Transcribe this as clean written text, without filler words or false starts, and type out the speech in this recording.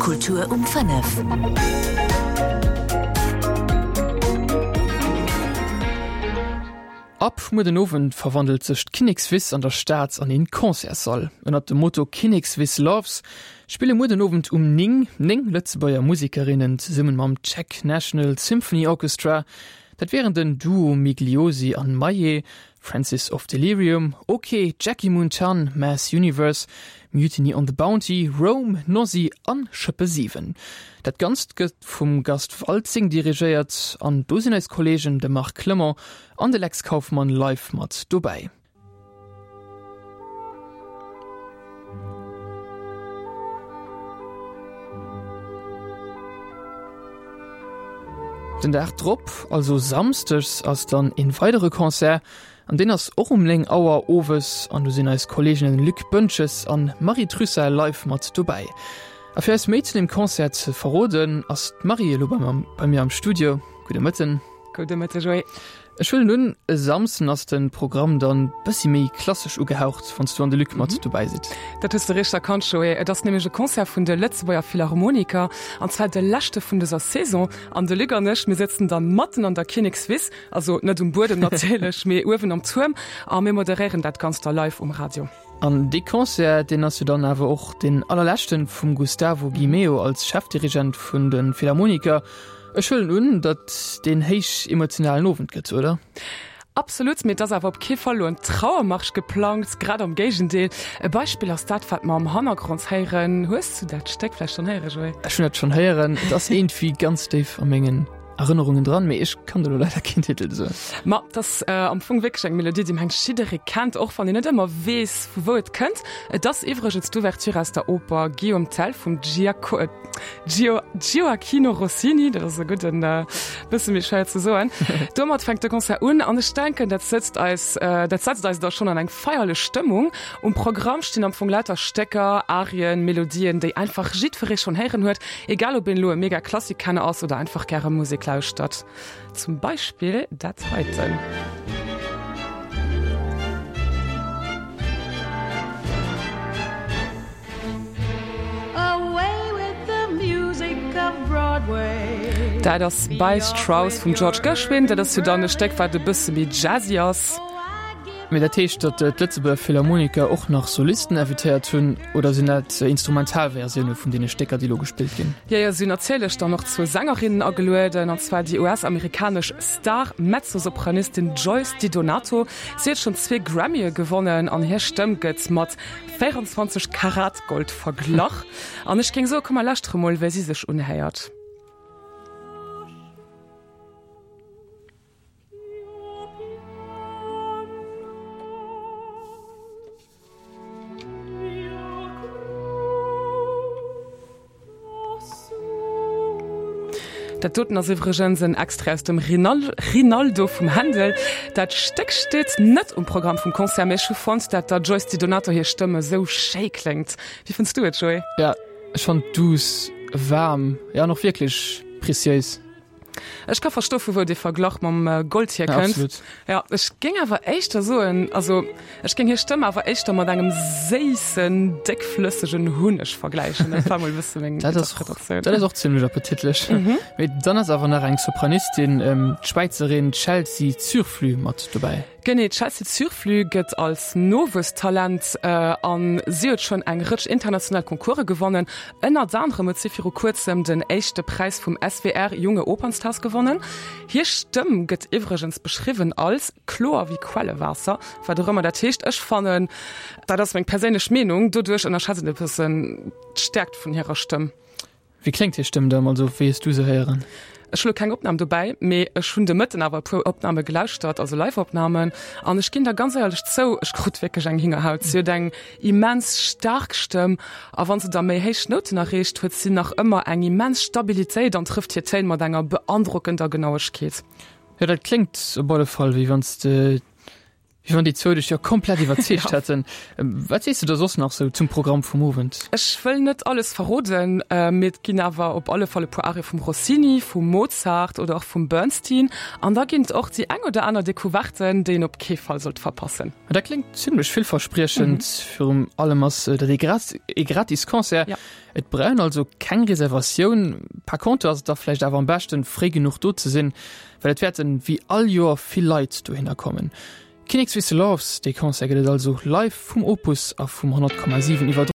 Kultur um 5. Ab muer den Owend verwandelt sech d'Kinnekswiss an der Stad an een Concertssall. Ënnert dem Motto Kinnekswiss Loves spille muer den Owend um 9 9 Lëtzebuerger Musekerinnen zesummen mam Czech National Symphony Orchestra. Dat wieren den Duo Migliosi an Maillet, Francis of Delirium, Ok, Jackie Moon Chan, Mass Universe, Mutiny on the Bounty, Rome, Nosy an Schëppe 7. Dat Ganzt gëtt vum Gast Waltzing dirigéiert an do sinn eis Kolleegen de Marc Clement an de Lex Kauffmann live mat dobäi. Den Dag drop, also Samsdes, ass dann een weidere Concert an deen ass och um 9 Auer owes an do sinn eis Kolleeginnen Luc Boentges an Marie Trussart live mat dobäi. A fir eis méi zu dem Concert ze verroden, ass d'Marie elo bei mir am Studio. Gudde Mëtten. Gudde Mëtte Joé. Ech huelen un, e Samsden ass de Programm dann bëssi méi klassesch ugehaucht, wann s du an de Luc mat dobäi sidd. Dat hues de richteg erkannt, Joé. Et ass nämlech e Concert vun de Lëtzebuerger Philharmoniker, an zwar de leschte vun dëser Saison. An de Luc an ech, mir sëtzen dann matten an der Kinnekswiss, also net um Buedem natierlech, mee uewen am Tuerm, a mir moderéieren dat Ganzt da live um Radio. An dee Concert, deen ass jo dann awer och deen allerleschten vum Gustavo Gimeo als Chefdirigent vun de Philharmoniker. Ech huelen un, datt deen héich emotionalen Owend gëtt, oder? Absolut, mee et ass awer op kee Fall elo en Trauermarsch geplangt, grad am Géigendeel. E Beispill ass dat, wat mer am Hannergrond héieren. Hues du dat Stéck vläicht schonn héieren, Joé? Ech hunn dat schonn héieren. Et ass iergendwéi ganz déif a mengen Erënnerungen dran, mee ech kann der elo leider keen Titel soen. Ma et ass am Fong wierklech eng Melodie, déi mengt jidderee kennt, och wann een net ëmmer weess, vu wou et kënnt. Et ass iwwregens d'Ouverture aus der Oper Guillaume Tell vum Giaco. Gio, Gioacchino Rossini, dat ass e gudden, bësse méi schwéier ze soen. Domat fänkt de Concert un an ech denken, dat sëtzt eis, dat setzt eis da schonn an eng feierlech Stëmmung. Um Programm stinn am Fong lauter Stécker, Arien, Melodien, déi einfach jiddweree schonn héieren huet, egal ob een elo e mega Klassikkenner ass oder einfach gäre Musek lauschtert. Zum Beispill dat heiten. Dat ass By Strauss vum George Gershwin. Dat ass jo dann e Stéck, wat e bësse méi jazzy ass. Mee dat heescht, datt d'Lëtzebuerger Philharmoniker och nach Solisten invitéiert hunn, oder sinn dat Instrumentalversioune vun deene Stécker, déi elo gespillt ginn? Jo, jo, si hunn natierlech dann och zwou Sängerinnen agelueden, an zwar déi US-amerikanesch Star-Mezzosopranistin Joyce DiDonato. Si huet schonn zwee Grammye gewonnen an hir Stëmm gëtt mat 24 Karat Gold verglach. An ech géing soen, komm mer lauschtere mol, wéi si sech unhéiert. Dat doten ass iwwregens en Extrait aus dem Rinaldo vum Händel. Dat Stéck steet net um Programm vum Concert, mee ech hu fonnt, dat der Joyce DiDonato hir Stëmm esou schéi kléngt. Wéi fënns du et, Joé? Ja, ech fannt douce, waarm, ja an och wierklech preciéis. Ech ka verstoe vu wou dee Verglach mam Gold hierkënnt. Absolut. Ja, ech géing awer éischter soen, also ech géing hir Stëmm awer éischter mat engem séissen, déckflëssegen Hunneg vergläichen. Dat war mol e bësse meng Dat ass, Interpretatioun. dat ass och zimmlech appetitlech. Mee dann ass awer nach eng Sopranistin, d'Schwäizerin Chelsea Zurflüh mat dobäi. Genee, d'Chelsea Zurflüh gëtt als Nowuesstalent an si huet schonn eng Rëtsch international Concourse gewonnen. Ënnert anerem huet si viru kuerzem den éischte Präis vum SWR Junge Opernstars gewonnen. Hir Stëmm gëtt iwwregens beschriwwen als kloer wéi Quellewaasser, wat och ëmmer dat heescht. Ech fannen, dat ass meng perséinlech Meenung, doduerch ënnerschätzt een e bëssen d'Stäerkt vun hirer Stëmm. Wéi kléngt hir Stëmm dann, also wéi hues du se héieren? Ech hu lo keng Opnam dobäi, mee ech hunn de Mëtten awer e puer Opname gelauschtert, also Live-Opnamen, an ech ginn der ganz éierlech zou, ech krut wierklech eng Hingerhaut. Si huet eng immens staark Stëmm a wann se da méi héich Nouten erreecht, huet si nach ëmmer eng immens Stabilitéit an trëfft hir Téin mat enger beandrockender Genauegkeet. Jo, dat kléngt op alle Fall, wéi wann s de. Wéi wann déi zwou dech jo komplett iwwerzeegt hätten. Wat sees de da soss nach sou zum Programm vum Owend? Ech wëll net alles verroden, mee et ginn awer op alle Fall e puer Arie vum Rossini, vum Mozart oder och vum Bernstein. An da ginn et och déi eng oder aner Decouverte, déi een op kee Fall sollt verpassen. Dat kléngt zimmlech villverspriechend. Virum allem ass dat ee gratis Concert. Et brauch een also keng Reservatioun. Par contre ass et da vläicht awer am beschten, fréi genuch do ze sinn, well et wäerten wéi all Joer vill Leit dohinner kommen. Kinnekswisse Loves, dee Concert gëtt et also live vum Opus a vum 100,7 iwwerdroen.